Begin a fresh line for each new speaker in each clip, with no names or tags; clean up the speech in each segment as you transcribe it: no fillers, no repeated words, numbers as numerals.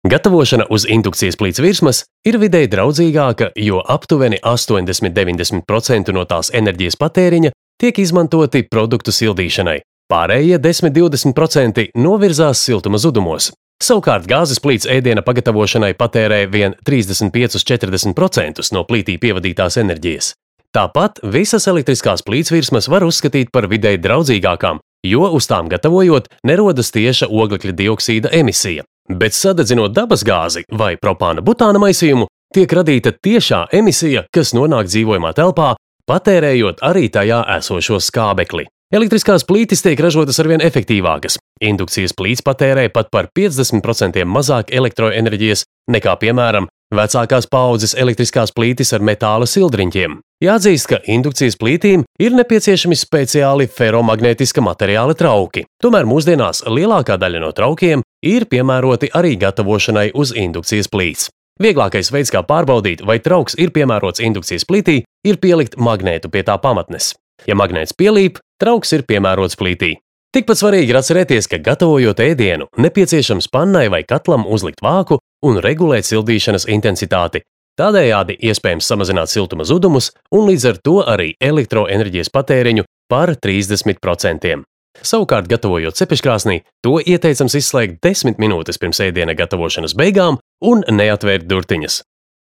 Gatavošana uz indukcijas plīts virsmas ir videi draudzīgāka, jo aptuveni 80–90% no tās enerģijas patēriņa tiek izmantoti produktu sildīšanai. Pārējie 10–20% novirzās siltuma zudumos. Savukārt gāzes plīts ēdiena pagatavošanai patērē vien 35–40% no plītī pievadītās enerģijas. Tāpat visas elektriskās plīts virsmas var uzskatīt par videi draudzīgākām, jo uz tām gatavojot nerodas tieša oglekļa dioksīda emisija. Bet sadedzinot dabasgāzi vai propāna butāna maisījumu, tiek radīta tiešā emisija, kas nonāk dzīvojamā telpā, patērējot arī tajā esošo skābekli. Elektriskās plītis tiek ražotas arvien efektīvākas. Indukcijas plīts patērē pat par 50% mazāk elektroenerģijas nekā, piemēram, vecākās paaudzes elektriskās plītis ar metāla sildriņķiem. Jāatzīst, ka indukcijas plītīm ir nepieciešami speciāli feromagnētiska materiāla trauki. Tomēr mūsdienās lielākā daļa no traukiem ir piemēroti arī gatavošanai uz indukcijas plīts. Vieglākais veids, kā pārbaudīt, vai trauks ir piemērots indukcijas plītī, ir pielikt magnētu pie tā pamatnes. Ja magnēts pielīp, trauks ir piemērots plītī. Tikpat svarīgi ir atcerēties, ka gatavojot ēdienu, nepieciešams pannai vai katlam uzlikt vāku un regulēt sildīšanas intensitāti. Tādējādi iespējams samazināt siltuma zudumus un līdz ar to arī elektroenerģijas patēriņu par 30%. Savukārt, gatavojot cepeškrāsnī, to ieteicams izslēgt 10 minūtes pirms ēdiena gatavošanas beigām un neatvērt durtiņas.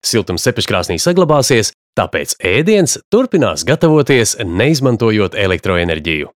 Siltums cepeškrāsnī saglabāsies, tāpēc ēdiens turpinās gatavoties, neizmantojot elektroenerģiju.